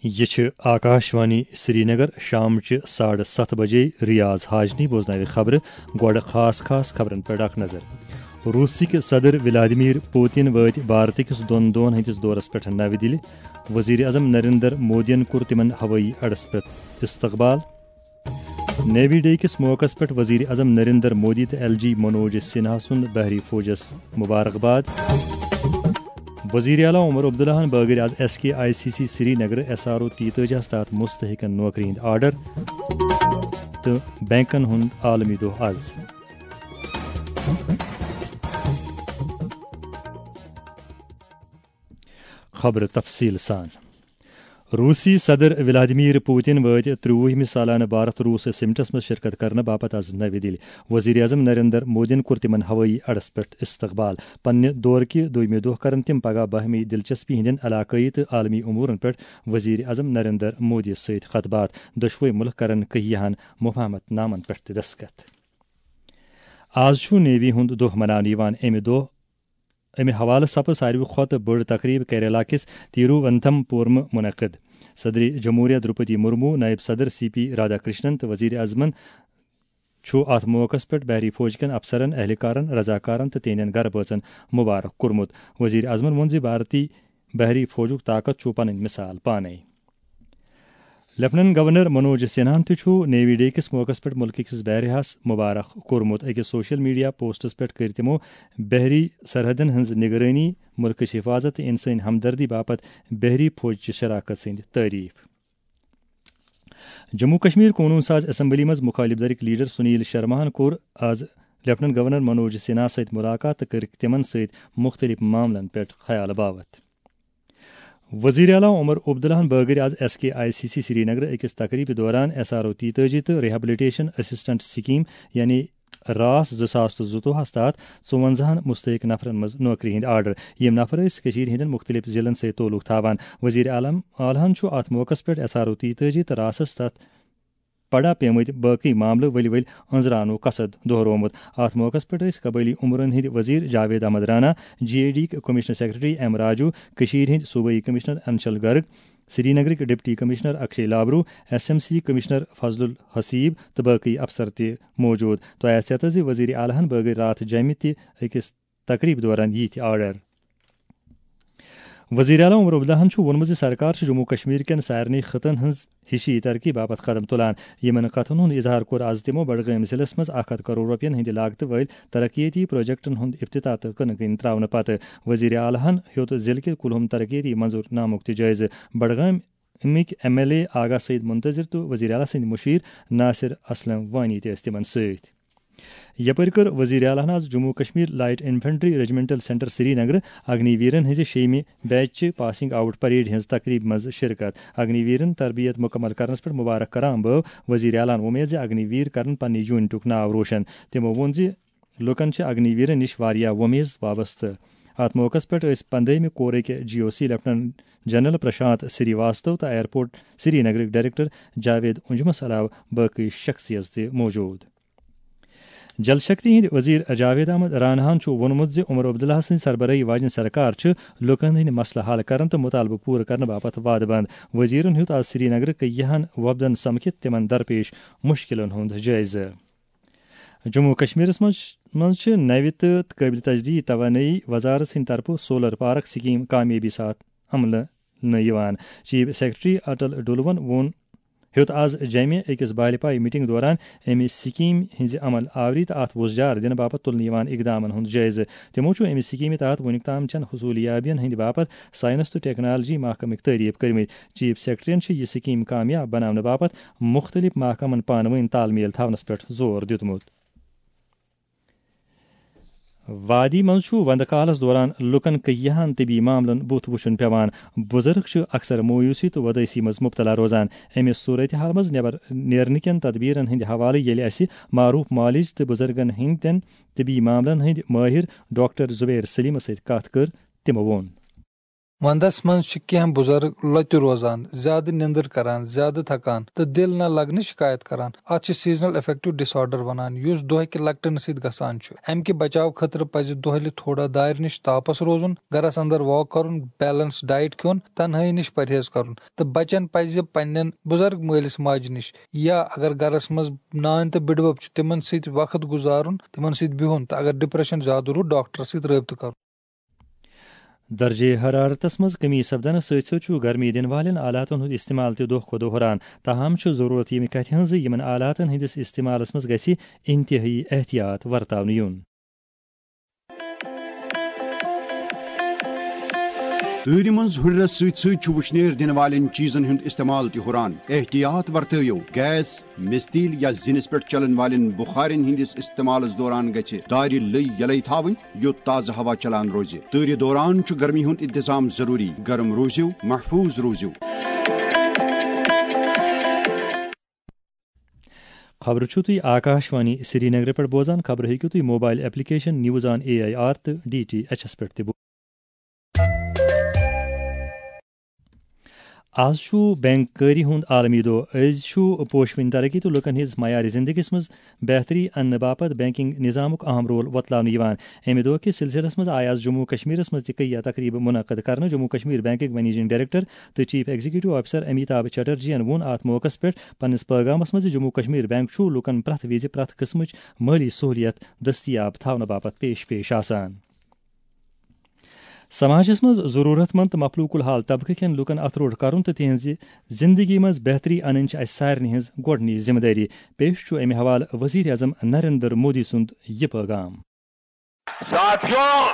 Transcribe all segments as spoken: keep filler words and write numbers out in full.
یہِ چھِ آکاشوانی سرینگر۔ شامچہِ ساڑٕ ستھ بجے ریاض حاجنی بوزناوِ خبرٕ۔ گۄڈٕ خاص خاص خبرن پٮ۪ٹھ اکھ نظر۔ روٗسٕکۍ صدر ولادیمیر پوتن وٲتۍ بھارتٕکِس دۄن دۄہن ہٕنٛدِس دورس پٮ۪ٹھ نَوِ دِلہِ۔ وزیر اعظم نریندر مودیَن کوٚر تِمن ہوٲیی اڈس پٮ۪ٹھ استقبال۔ نیوی ڈے کِس موقعس پٮ۪ٹھ وزیر اعظم نریندر مودی تہٕ ایل جی منوج سنہا سُنٛد بحری فوجس مبارکباد۔ وزیر اعلیٰ عمر عبداللہ ہن بٲگرۍ آز S K I C C Srinagar S R O تیتٲجی ہس تحت مستحقن نوکری ہٕنٛدۍ آرڈر تہٕ بینکن ہُنٛد عالمی دۄہ آز۔ خبرٕ تفصیٖل سان۔ روٗسی صدر ولادیمیر پوتن وٲتۍ ترٛۆوُہمہِ سالانہٕ بھارت روٗس سمٹس منٛز شرکت کرنہٕ باپتھ آز نَوِ دِلہِ۔ وزیر اعظم نریندر مودیَن کوٚر تِمن ہوٲیی اڈس پٮ۪ٹھ استقبال۔ پننہِ دورٕکہِ دوٚیمہِ دۄہ کرن تِم پگاہ باہمی دلچسپی ہٕنٛدٮ۪ن علاقٲیی تہٕ عالمی امورن پٮ۪ٹھ وزیر اعظم نریندر مودی سۭتۍ خطبات۔ دۄشوے مُلک کرن کہیاہن مفاہمت نامن پٮ۪ٹھ تہِ دستخط۔ آز چھُ نیوی ہُنٛد دۄہ مناونہٕ یِوان۔ اَمہِ دۄہ امہِ حوالہٕ سپٕز ساروی کھۄتہٕ بٔڑ تقریب کیرلا کِس تیروونتھم پورمہٕ منعقد۔ صدر جمہوریہ دروپدی مرمو، نائب صدر سی پی رادھا کرشنن تہٕ وزیر اعظمن چھُ اتھ موقعس پٮ۪ٹھ بحری فوج کٮ۪ن افسرن، اہلکارن، رضاکارن تہٕ تِہنٛدٮ۪ن گرٕ بٲژن مبارک کوٚرمُت۔ وزیر اعظمن ووٚن زِ بھارتی بحری فوجُک طاقت چھُ پنٕنۍ مثال پانے۔ لیفٹیننٹ گورنر منوج سنہاہن تہِ چھُ نیوی ڈے کِس موقعس پٮ۪ٹھ مُلکہٕ کِس بحریہس مبارک کوٚرمُت۔ أکِس سوشل میڈیا پوسٹس پٮ۪ٹھ کٔرۍ تِمو بحری سرحدن ہٕنٛز نگرٲنی، مُلکٕچ حفاظت تہٕ انسٲنی ہمدردی باپتھ بحری فوج چہِ شراکت سٕنٛدۍ تعریف۔ جموں کشمیر قونوٗن ساز اسمبلی منٛز مخالف دھڑٕکۍ لیڈر سنیل شرماہن کوٚر آز لیفٹیننٹ گورنر منوج سنہا سۭتۍ ملاقات تہٕ کٔرٕکھ تِمن سۭتۍ مُختٔلِف معاملن پٮ۪ٹھ خیال باوتھ۔ وزیر اعلیٰ عمر عبداللہن بٲگرۍ آز S K I C C Srinagar أکِس تقریبہِ دوران ایس آر او تیتٲجی تہٕ ریہیبلیٹیشن اسسٹنٹ سکیم یعنی راس زٕ ساس تہٕ زٕتووُہس تحت ژُوَنزاہن مستحق نفرن منٛز نوکری ہٕنٛدۍ آرڈر۔ یِم نفر ٲسۍ کٔشیٖرِ ہٕنٛدٮ۪ن مُختٔلِف ضلعن سۭتۍ تعلق تھاوان۔ وزیر اعلیٰ اعلیٰ ہن چھُ اتھ موقعس پٮ۪ٹھ ایس آر او تیتٲجی تہٕ راسس تحت پڑا پیمٕتۍ باقٕے معاملہٕ ؤلۍ ؤلۍ أنٛزراونُک قصد دۄہرومُت۔ اتھ موقعس پٮ۪ٹھ ٲسۍ قبٲئلی امورن ہٕنٛدۍ وزیر Javed Ahmad Rana, J A D commissioner secretary M Raju, کٔشیٖرِ ہٕنٛدۍ صوبٲئی کمشنر انشل گرگ، سری نگرٕکۍ deputy commissioner Akshay Labroo, S M C commissioner Fazal ul Haseeb تہٕ باقٕے افسر تہِ موجود۔ تۄہہِ آسہِ ژیتس زِ وزیر اعلیٰ ہن بٲگرۍ راتھ جمہِ تہِ أکِس تقریب دوران یہِ تہِ آرڈر۔ وزیر اعلیٰ عمر عبداللہن چھُ ووٚنمُت زِ سرکار چھِ جموں کشمیر کٮ۪ن سارنٕے خطن ہٕنٛز ہِشی ترقی باپتھ قدم تُلان۔ یِمن کتھن ہُنٛد اظہار کوٚر از تِمو بڈگٲمۍ ضلعس منٛز اکھ ہتھ کرور رۄپین ہٕنٛدِ لاگتہٕ وٲلۍ ترقیتی پروجیکٹن ہُنٛد افتتاح تہٕ کٕنہٕ کٕنۍ تراونہٕ پتہٕ۔ وزیر اعلیٰ ہن ہیوٚت ضلعہٕ کہِ کُلہُم ترقیتی منظور نامُک تہِ جٲیزٕ۔ بڈگامہِ امِکۍ ایم ایل اے آغا سعید منتظر تہٕ وزیر اعلیٰ سٕنٛدۍ مُشیر ناصر اسلم وانی تہِ ٲسۍ تِمن سۭتۍ۔ یپٲرۍ کٔر وزیر اعلیٰ ہن آز Jammu Kashmir light infantry regimental centre Srinagar اگنی ویرن ہٕنٛزِ شیٚیمہِ بیچ چہِ پاسنگ آؤٹ پریڈ ہٕنٛز تقریب منٛز شرکت۔ اگنی ویرن تربیت مکمل کرنس پٮ۪ٹھ مبارک کران بٲو وزیر اعلیٰ ہن وۄمید زِ اگنی ویر کرن پننہِ یونٹُک ناو روشن۔ تِمو ووٚن زِ لوٗکن چھِ اگنی ویرن نِش واریاہ وۄمیز وابستہٕ۔ اتھ موقعس پٮ۪ٹھ ٲسۍ پندٲہمہِ کورٕکۍ جی او سی لیفٹیننٹ جنرل پرشانت سری واستو تہٕ ایئرپورٹ سری نگرٕکۍ ڈائریکٹر جاوید انجمس علاوٕ باقٕے شخصیژ تہِ موجود۔ جل شکتی ہٕنٛدۍ وزیر جاوید احمد راناہن چھُ ووٚنمُت زِ عمر عبداللہ سٕنٛز سربراہی واجنہِ سرکار چھِ لوٗکن ہٕنٛدۍ مسلہٕ حل کرن تہٕ مطالبہٕ پوٗرٕ کرنہٕ باپتھ وعدٕ بنٛد۔ وزیرن ہیوٚت آز سری نگرٕ کیاہن وفدن سمکھِتھ تِمن درپیش مُشکِلن ہُنٛد جٲیزٕ۔ جموں و کشمیرس منٛز منٛز چھِ نوِ تہٕ قٲبلِ تجدید توانٲیی وزارت سٕنٛدِ طرفہٕ سولر پارک سکیم کامیٲبی ساتھ عملہٕ نہٕ یِوان۔ چیف سیکرٹری اٹل ڈولون ووٚن، ہیوٚت آز جمہِ أکِس بالپایہِ میٹنگ دوران امہِ سکیمہِ ہٕنٛزِ عمل آوری تہٕ اتھ وُژھ جار دِنہٕ باپتھ تُلنہٕ یِوان اقدامن ہُنٛد جٲیزٕ۔ تِمو چھُ امہِ سکیمہِ تحت وُنیُک تام چٮ۪ن حصوٗلیابین ہٕنٛدِ باپتھ ساینس تہٕ ٹیکنالوجی محکمٕکۍ تعریف کٔرمٕتۍ۔ چیف سیکرٹریَن چھِ یہِ سکیم کامیاب بناونہٕ باپتھ مُختٔلِف محکمن پانہٕ ؤنۍ تال میل تھاونس پٮ۪ٹھ زور دیُتمُت۔ وادی منٛز چھُ وندٕ کالس دوران لوٗکن کیاہن طبی معاملن بُتھ وُچھُن پٮ۪وان۔ بُزرگ چھِ اکثر مایوسی تہٕ وۄدٲسی منٛز مبتلا روزان۔ امہِ صورتحال منٛز نٮ۪بر نیرنہٕ کٮ۪ن تدبیرن ہٕنٛدِ حوالہٕ ییٚلہِ اسہِ معروف معالج تہٕ بُزرگن ہٕنٛدٮ۪ن طبی معاملن ہٕنٛدۍ مٲہِر ڈاکٹر زبیر سلیمس سۭتۍ کتھ کٔر، تِمو ووٚن۔ وندس منٛز چھِ کینٛہہ بُزرگ لۄتہِ روزان، زیادٕ نیندٕر کران، زیادٕ تھکان تہٕ دِل نہ لگنٕچ شکایت کران۔ اتھ چھِ seasonal affective disorder ونان، یُس دۄہکہِ لٹنہٕ سۭتۍ گژھان چھُ۔ امہِ کہِ بچاو خٲطرٕ پزِ دۄہلہِ تھوڑا دارِ نِش تاپس روزُن، گرس اندر walk کرُن، balanced diet کھیوٚن، تنہٲیی نِش پرہیز کرُن تہٕ بچن پزِ پننٮ۪ن بُزرگ مٲلِس ماجہِ نِش یا اگر گرس منٛز نانۍ تہٕ بٕڈبب چھِ، تِمن سۭتۍ وقت گُزارُن، تِمن سۭتۍ بِہُن تہٕ اگر depression زیادٕ روٗد، ڈاکٹرس سۭتۍ رٲبطہٕ کرُن۔ درجہ حرارتس منٛز کمی سپدنس سۭتۍ سۭتۍ چھُ گرمی دِنہٕ والٮ۪ن آلاتن ہُنٛد استعمال تہِ دۄہ کھۄتہٕ دۄہ ہُران۔ تاہم چھُ ضروٗرت ییٚمہِ کتھِ ہٕنٛز زِ یِمن آلاتن ہٕنٛدِس استعمالس منٛز گژھِ انتہٲیی احتیاط ورتاونہٕ یُن۔ تۭرِ منٛز ہُرِرس سۭتۍ سۭتۍ چھُ وُشنیر دِنہٕ والٮ۪ن چیٖزن ہُنٛد استعمال تہِ ہُران۔ احتیاط ورتٲوِو، گیس، مِستیٖل یا زِنِس پٮ۪ٹھ چلن والٮ۪ن بُخارٮ۪ن ہٕنٛدِس استعمالس دوران گژھِ دارِ لٔے یلے تھاوٕنۍ، یوٚت تازٕ ہوا چلان روزِ۔ تۭرِ دوران چھُ گرمی ہُنٛد انتظام ضروٗری۔ گرم روٗزِو، محفوٗظ روٗزِو۔ خبرٕ چھِو تُہۍ آکاشوانی سرینگرٕ پٮ۪ٹھ بوزان۔ خبرٕ ہیٚکِو تُہۍ mobile application news on A I R تہٕ ڈی ٹی ایچ ایس پٮ۪ٹھ تہِ بوزِتھ۔ آز چھُ بینک کٲری ہُنٛد عالمی دۄہ۔ أزۍ چھُ پوشوٕنۍ ترقی تہٕ لوٗکَن ہٕنٛز معیارِ زِندگی منٛز بہتری اَننہٕ باپتھ بینکنگ نظامُک اہم رول وۄتلاونہٕ یِوان۔ اَمہِ دۄہ کِس سلسلس منٛز آیہِ آز جموں کشمیرس منٛز تہِ کیٚنٛہہ تقریبہٕ منعقد کرنہٕ۔ جموں کشمیر بینکٕکۍ منیجنگ ڈائریکٹر تہٕ chief executive officer Amitabh Chatterjee یَن ووٚن اَتھ موقعس پٮ۪ٹھ پننِس پٲغامس منٛز زِ جموں کشمیر بینک چھُ لوٗکَن پرٛٮ۪تھ وِزِ پرٛٮ۪تھ قٕسمٕچ مٲلی سہوٗلیت دٔستیاب تھاونہٕ باپتھ پیش پیش آسان۔ سماجس منٛز ضروٗرت مند تہٕ مفلوٗک الحال طبقہٕ کٮ۪ن لوٗکَن اَتھٕ روٚٹ کرُن تہٕ تِہنٛزِ زِندگی منٛز بہتری اَنٕنۍ چھِ اَسہِ سارنٕے ہٕنٛز گۄڈٕنِچ ذمہٕ دٲری۔ پیش چھُ اَمہِ حوالہٕ وزیر اعظم نریندر مودی سُنٛد یہِ پٲغام۔ ساتھیو،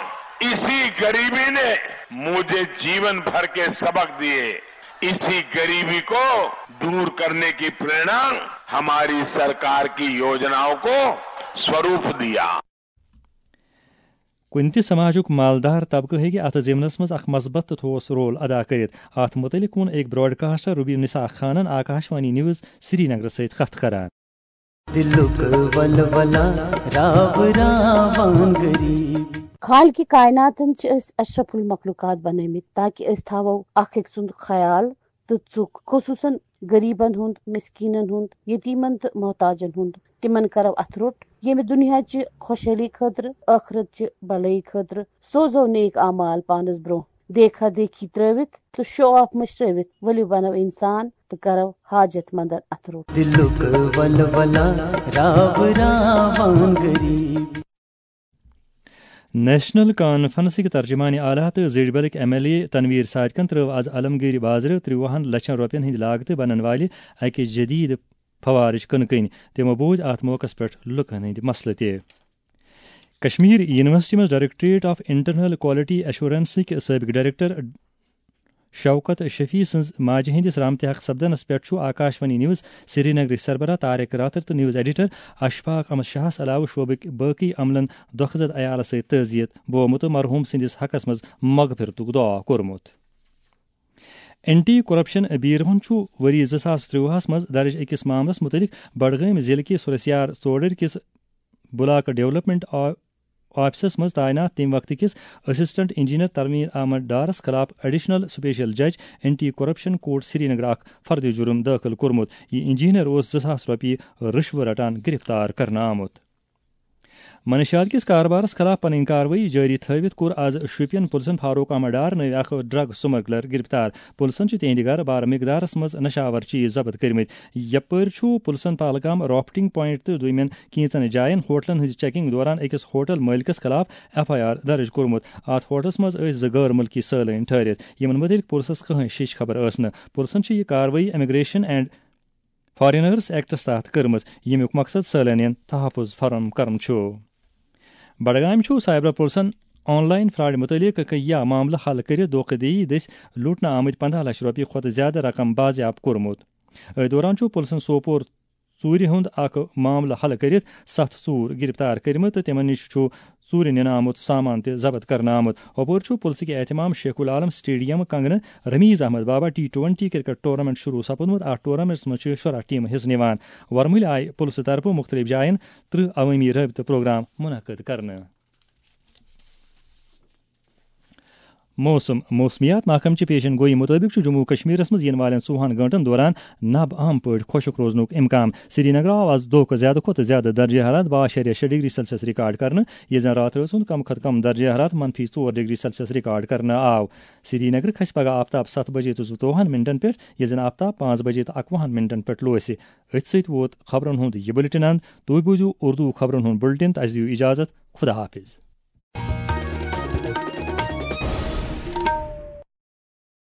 اسی غریبی نے مجھے جیون بھر کے سبق دیے۔ اسی غریبی کو دور کرنے کی प्रेरणा हमारी सरकार की योजनाओं को स्वरूप दिया۔ کُنہِ تہِ سماجُک مالدار طبقہٕ ہیٚکہِ اَتھ ضِمنس منٛز اکھ مثبت تہٕ ٹھوس رول ادا کٔرِتھ۔ اَتھ مُتعلِق ووٚن أکۍ براڈکاسٹر ربیع نساء خانن آکاشوانی نیوز سرینگرٕ سۭتۍ کتھ کران۔ دِلُک ولولہ راو راوان غریٖب۔ خالقِ کائناتن چھِ أسۍ اشرف المخلوقات بنٲومٕتۍ تاکہِ أسۍ تھاوو اکھ أکۍ سُنٛد خیال تہٕ ژُکھ، خصوٗصن غریٖبن ہُنٛد، مسکیٖنن ہُنٛد، یتیٖمن تہٕ محتاجن ہُنٛد۔ تِمن کرو اَتھٕ روٚٹ، ییٚمہِ دُنیا چہِ خۄشحٲلی خٲطرٕ، ٲخرت چہِ بھلٲیی خٲطرٕ۔ سوزو نیک اعمال پانس برٛونٛہہ، دیکھا دیکھی ترٲوِتھ تہٕ شو آف مٔشرٲوِتھ۔ ؤلِو بنو انسان تہٕ کرو حاجت مندن اَتھٕ روٚٹ۔ دِلُک ولولہ راو راوان غریٖب۔ نیشنل کانفرنسٕکۍ ترجمان اعلیٰ تہٕ زیڈبلٕکۍ ایم ایل اے تنویر صادقن ترٲو از علمگیری بازرٕ ترٛوہن لچھن رۄپین ہٕنٛدِ لاگتہٕ بنن والہِ اکہِ جدید فوارٕچ کٕنہٕ کٕنۍ۔ تِمو بوٗزۍ اتھ موقعس پٮ۪ٹھ لوٗکن ہٕنٛدۍ مسلہٕ تہِ۔ کشمیر یونیورسٹی منٛز ڈائریکٹوریٹ آف انٹرنل کوالٹی ایشورنسٕکۍ سٲبق ڈائریکٹر شوکت شفیع سٕنٛز ماجہِ ہٕنٛدِس رحمتِ حق سپدنس پٮ۪ٹھ چھُ آکاشوانی نیوز سرینگرٕکۍ سربراہ طارق راتھر تہٕ نیوز ایڈیٹر اشفاق احمد شاہس علاوٕ شعبٕکۍ باقی عملن دۄکھٕ زد عیالس سۭتۍ تعزیت بومُت تہٕ مرحوم سٕنٛدِس حقس منٛز مغفرتُک دعا کوٚرمُت۔ اینٹی کرپشن بیوروہن چھُ ؤری زٕ ساس ترٛوہس منٛز درج أکِس معاملس مُتعلق بڈگٲمۍ ضلعہٕ کِس سورسیار ژوڈٕرۍ کِس بلاک ڈیولپمنٹ آ-، آفسس منٛز تعینات تَمہِ وقتہٕ کِس اسسٹنٹ انجینئر تنویر احمد ڈارس خلاف ایڈیشنل سپیشل جج اینٹی کرپشن کورٹ سرینگر اکھ فرد جرم دٲخل کوٚرمُت۔ یہِ انجینئر اوس زٕ ساس رۄپیہِ رشوٕ رٹان گرفتار کرنہٕ آمُت۔ منشیات کِس کاربارس خلاف پنٕنۍ کاروٲیی جٲری تھٲوِتھ کوٚر از شوپین پُلسن فاروق احمد ڈار نٲوۍ اکھ ڈرگ سمگلر گرفتار۔ پُلسن چھِ تِہنٛدِ گرٕ بارٕ مقدارس منٛز نشاور چیز ضبط کٔرمٕتۍ۔ یپٲرۍ چھُ پُلسن پہلگام رافٹنگ پوینٹ تہٕ دوٚیمٮ۪ن کینٛژن جاین ہوٹلن ہٕنٛزِ چیکنگ دوران أکِس ہوٹل مٲلکس خلاف ایف آئی آر درج کوٚرمُت۔ اتھ ہوٹلس منٛز ٲسۍ زٕ غٲر مُلکی سٲلٲنۍ ٹھٔہرِتھ، یِمن مُتعلق پُلسس کٕہٕنۍ شِش خبر ٲس نہٕ۔ پُلسن چھِ یہِ کاروٲیی امیگریشن اینڈ فارینرز ایکٹس تحت کٔرمٕژ، ییٚمیُک مقصد سٲلٲنین تحفظ فراہم کرُن چھُ۔ بڈگامہِ چھُ سائبر پُلسن آن لائن فراڈ مُتعلق کیٚنٛہہ معاملہٕ حل کٔرِتھ دھوکہ دٔری دٔسۍ لوٗٹنہٕ آمٕتۍ پنداہ لچھ رۄپیہِ کھۄتہٕ زِیٛادٕ رقم بازیاب کوٚرمُت۔ أتھۍ دوران چھُ پُلسن سوپور ژوٗرِ ہُنٛد اکھ معاملہٕ حل کٔرِتھ ستھ ژوٗر گرفتار کٔرمٕتۍ تہٕ تِمن نِش چھُ ژوٗرِ نِنہٕ آمُت سامان تہِ ضبط کرنہٕ آمُت۔ ہُپٲرۍ چھُ پُلسہٕ کہِ اہتمام شیخ العالم سٹیڈیم کنگنہٕ رمیز احمد بابا ٹی ٹوینٹی کرکٹ ٹورنامنٹ شروع سپُدمُت۔ اتھ ٹورنامنٹس منٛز چھِ شُراہ ٹیمہٕ حصہٕ نِوان۔ ورمُلہِ آیہِ پُلسہٕ طرفہٕ مُختٔلِف جاین ترٕہ عوٲمی رٲبطہٕ پروگرام منعقد کرنہٕ۔ موسم۔ موسمیات محکمہٕ چہِ پیشن گویی مُطٲبِق چھُ جموں و کشمیرس منٛز یِنہٕ والٮ۪ن ژوٚوُہن گٲنٛٹن دوران نب عام پٲٹھۍ خۄشک روزنُک امکان۔ سرینگرٕ آو از دۄہ کھۄتہٕ زیادٕ کھۄتہٕ زیادٕ درجہ حرارت باہ اَشاریہ شےٚ ڈگری سیلسیس ریکارڈ کرنہٕ، ییٚلہِ زن راتھ رٲژ ہُنٛد کم کھۄتہٕ کم درجہ حرارت منفی ژور ڈگری سیلسیس ریکارڈ کرنہٕ آو۔ سرینگرٕ کھسہِ پگہہ آفتاب ستھ بجے تہٕ زٕتووُہن منٹن پٮ۪ٹھ، ییٚلہِ زن آفتاب پانٛژھ بجے تہٕ اکوُہن منٹن پٮ۪ٹھ لوسہِ۔ أتھۍ سۭتۍ ووت خبرن ہُنٛد یہِ بُلٹن اند۔ تُہۍ بوٗزِو اردو خبرن ہُنٛد بُلٹن تہٕ اسہِ دِیِو اجازت۔ خدا حافظ۔